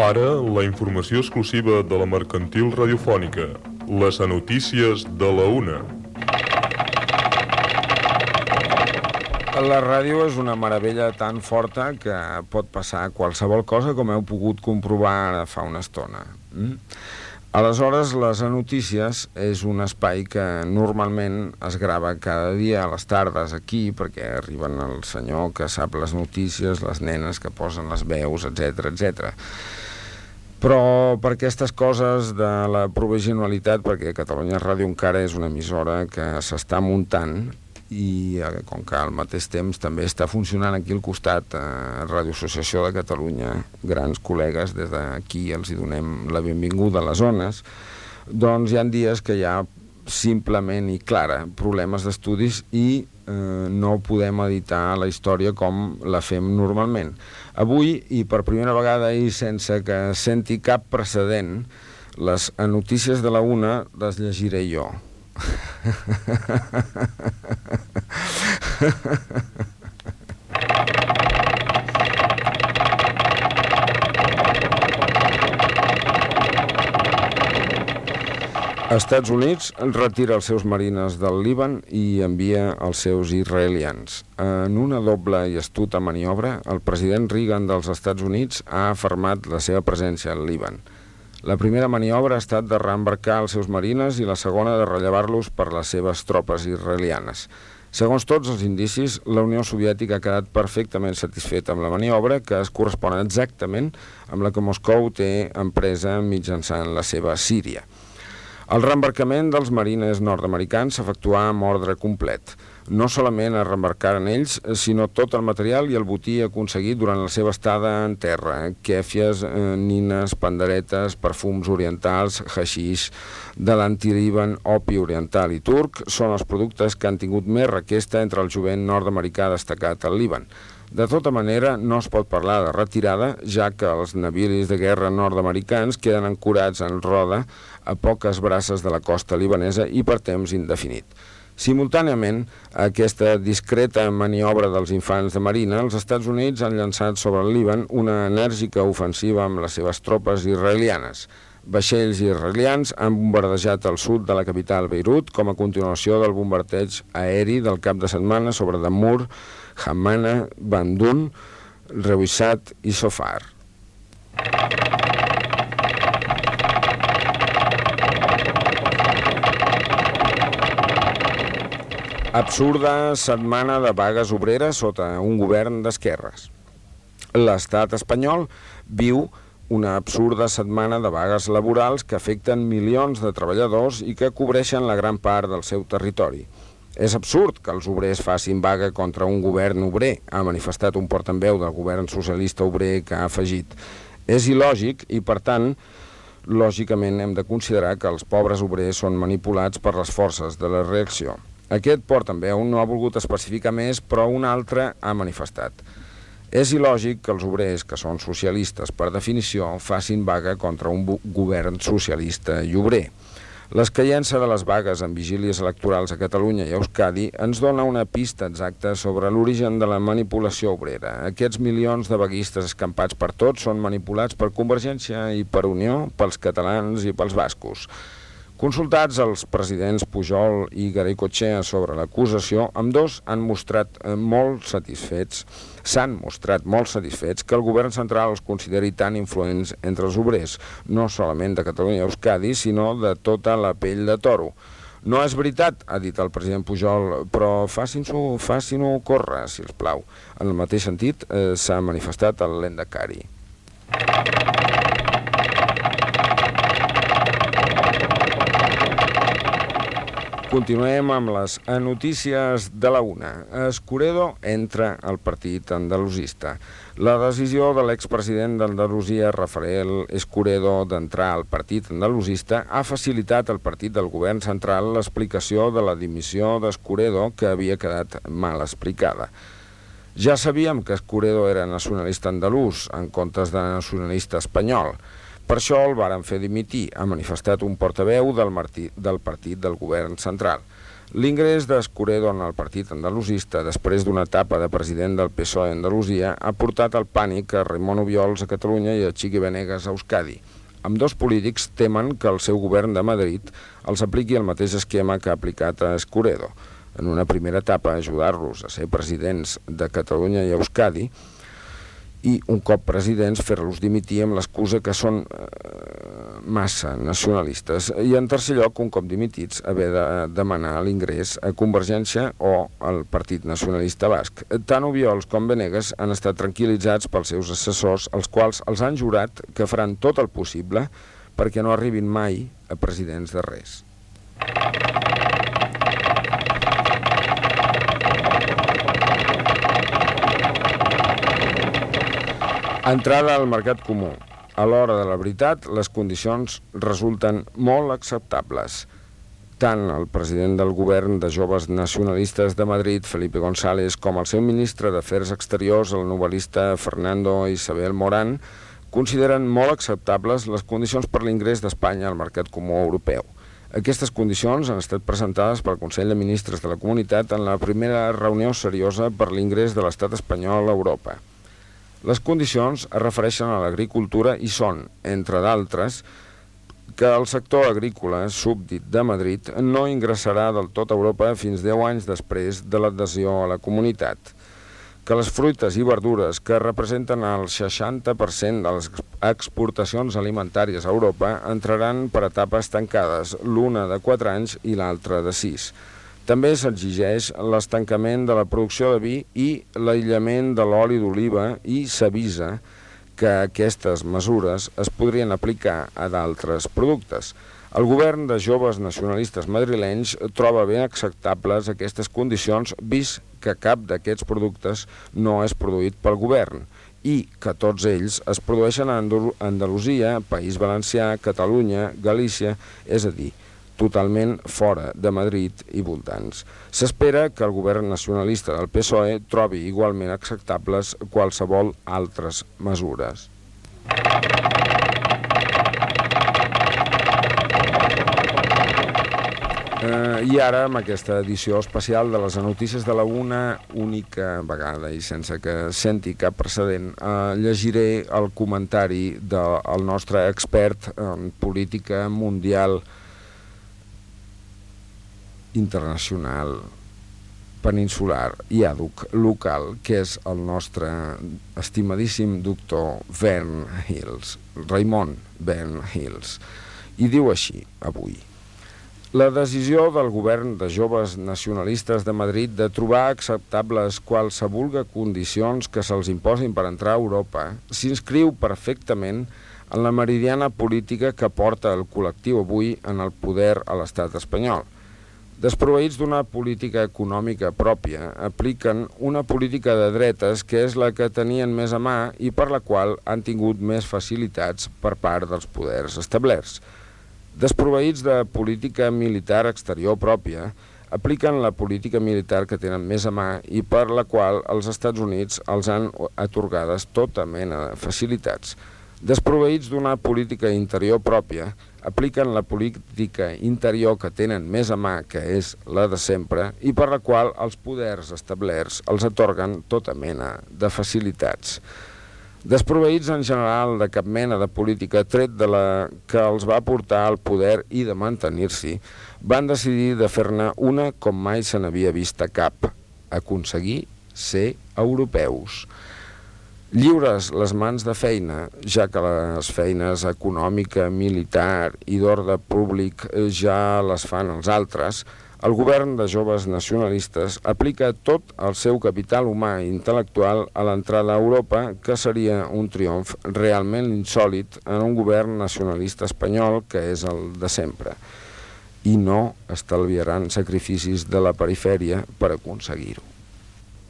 Ara, la informació exclusiva de la Mercantil Radiofònica. Les notícies de la una. La ràdio és una meravella tan forta que pot passar qualsevol cosa, com heu pogut comprovar ara fa una estona. Aleshores, les notícies és un espai que normalment es grava cada dia a les tardes aquí, perquè arriben el senyor que sap les notícies, les nenes que posen les veus, etc etc. Però per aquestes coses de la provisionalitat, perquè Catalunya Ràdio encara és una emissora que s'està muntant, i com que al mateix temps també està funcionant aquí al costat Ràdio Associació de Catalunya, grans col·legues, des d'aquí els hi donem la benvinguda a les zones, doncs hi ha dies que hi ha simplement i clara problemes d'estudis i no podem editar la història com la fem normalment. Avui, i per primera vegada i sense que senti cap precedent, les notícies de la una les llegiré jo. Estats Units retira els seus marines del Líban i envia els seus israelians. En una doble i astuta maniobra, el president Reagan dels Estats Units ha afermat la seva presència al Líban. La primera maniobra ha estat de reembarcar els seus marines i la segona de rellevar-los per les seves tropes israelianes. Segons tots els indicis, la Unió Soviètica ha quedat perfectament satisfeta amb la maniobra, que es correspon exactament amb la que Moscou té empresa mitjançant la seva Síria. El reembarcament dels marines nord-americans s'efectuà amb ordre complet. No solament es reembarcaren ells, sinó tot el material i el botí aconseguit durant la seva estada en terra. Kèfies, nines, panderetes, perfums orientals, haixix, de l'anti-Líban, opi oriental i turc són els productes que han tingut més requesta entre el jovent nord-americà destacat al Líban. De tota manera, no es pot parlar de retirada, ja que els navilis de guerra nord-americans queden ancorats en roda a poques braces de la costa libanesa i per temps indefinit. Simultàniament a aquesta discreta maniobra dels infants de marina, els Estats Units han llançat sobre el Líban una enèrgica ofensiva amb les seves tropes israelianes. Vaixells israelians han bombardejat el sud de la capital Beirut com a continuació del bombardeig aeri del cap de setmana sobre Dammur, Hamana, Bandun, Reuissat i Sofar. Absurda setmana de vagues obreres sota un govern d'esquerres. L'estat espanyol viu una absurda setmana de vagues laborals que afecten milions de treballadors i que cobreixen la gran part del seu territori. És absurd que els obrers facin vaga contra un govern obrer, ha manifestat un portaveu del govern socialista obrer que ha afegit. És il·lògic i, per tant, lògicament hem de considerar que els pobres obrers són manipulats per les forces de la reacció. Aquest portaveu no ha volgut especificar més, però un altre ha manifestat. És il·lògic que els obrers, que són socialistes per definició, facin vaga contra un govern socialista i obrer. L'escaient-se de les vagues en vigílies electorals a Catalunya i a Euskadi ens dona una pista exacta sobre l'origen de la manipulació obrera. Aquests milions de vaguistes escampats per tots són manipulats per Convergència i per Unió, pels catalans i pels bascos. Consultats els presidents Pujol i Garaikoetxea sobre l'acusació, ambdós s'han mostrat molt satisfets que el govern central els consideri tan influents entre els obrers, no solament de Catalunya i Euskadi, sinó de tota la pell de toro. No és veritat, ha dit el president Pujol, però facin-ho córrer, si us plau. En el mateix sentit, s'ha manifestat el Lehendakari. Continuem amb les notícies de la una. Escuredo entra al partit andalusista. La decisió de l'expresident d'Andalusia, Rafael Escuredo, d'entrar al partit andalusista ha facilitat al partit del govern central l'explicació de la dimissió d'Escuredo, que havia quedat mal explicada. Ja sabíem que Escuredo era nacionalista andalús, en comptes de nacionalista espanyol. Per això el varen fer dimitir, ha manifestat un portaveu del partit del govern central. L'ingrés d'Escuredo en el partit andalusista, després d'una etapa de president del PSOE a Andalusia, ha portat el pànic a Raimon Obiols a Catalunya i a Chiqui Benegas a Euskadi. Ambdós polítics temen que el seu govern de Madrid els apliqui el mateix esquema que ha aplicat a Escuredo. En una primera etapa, ajudar-los a ser presidents de Catalunya i Euskadi, i un cop presidents fer-los dimitir amb l'excusa que són massa nacionalistes, i en tercer lloc, un cop dimitits, haver de demanar l'ingrés a Convergència o al Partit Nacionalista Basc. Tant Obiols com Benegas han estat tranquil·litzats pels seus assessors, els quals els han jurat que faran tot el possible perquè no arribin mai a presidents de res. Entrada al mercat comú. A l'hora de la veritat, les condicions resulten molt acceptables. Tant el president del govern de joves nacionalistes de Madrid, Felipe González, com el seu ministre d'Afers Exteriors, el novel·lista Fernando Isabel Morán, consideren molt acceptables les condicions per l'ingrés d'Espanya al mercat comú europeu. Aquestes condicions han estat presentades pel Consell de Ministres de la Comunitat en la primera reunió seriosa per l'ingrés de l'estat espanyol a Europa. Les condicions es refereixen a l'agricultura i són, entre d'altres, que el sector agrícola súbdit de Madrid no ingressarà del tot a Europa fins 10 anys després de l'adhesió a la comunitat, que les fruites i verdures, que representen el 60% de les exportacions alimentàries a Europa, entraran per etapes tancades, l'una de 4 anys i l'altra de 6. També s'exigeix l'estancament de la producció de vi i l'aïllament de l'oli d'oliva i s'avisa que aquestes mesures es podrien aplicar a d'altres productes. El govern de joves nacionalistes madrilenys troba ben acceptables aquestes condicions, vist que cap d'aquests productes no és produït pel govern i que tots ells es produeixen a Andalusia, País Valencià, Catalunya, Galícia, és a dir, totalment fora de Madrid i voltants. S'espera que el govern nacionalista del PSOE trobi igualment acceptables qualsevol altres mesures. I ara, amb aquesta edició especial de les notícies de la una única vegada i sense que senti cap precedent, llegiré el comentari del nostre expert en política mundial, internacional, peninsular i àdhuc local, que és el nostre estimadíssim doctor Vern Hills, Raimon Vern Hills, i diu així avui: la decisió del govern de joves nacionalistes de Madrid de trobar acceptables qualsevol condicions que se'ls imposin per entrar a Europa s'inscriu perfectament en la meridiana política que porta el col·lectiu avui en el poder a l'estat espanyol. Desproveïts d'una política econòmica pròpia, apliquen una política de dretes que és la que tenien més a mà i per la qual han tingut més facilitats per part dels poders establerts. Desproveïts de política militar exterior pròpia, apliquen la política militar que tenen més a mà i per la qual els Estats Units els han atorgades tota mena de facilitats. Desproveïts d'una política interior pròpia, apliquen la política interior que tenen més a mà, que és la de sempre, i per la qual els poders establerts els atorguen tota mena de facilitats. Desproveïts en general de cap mena de política tret de la que els va portar al poder i de mantenir-s'hi, van decidir de fer-ne una com mai se n'havia vista cap: aconseguir ser europeus. Lliures les mans de feina, ja que les feines econòmica, militar i d'ordre públic ja les fan els altres, el govern de joves nacionalistes aplica tot el seu capital humà i intel·lectual a l'entrada a Europa, que seria un triomf realment insòlit en un govern nacionalista espanyol que és el de sempre. I no estalviaran sacrificis de la perifèria per aconseguir-ho.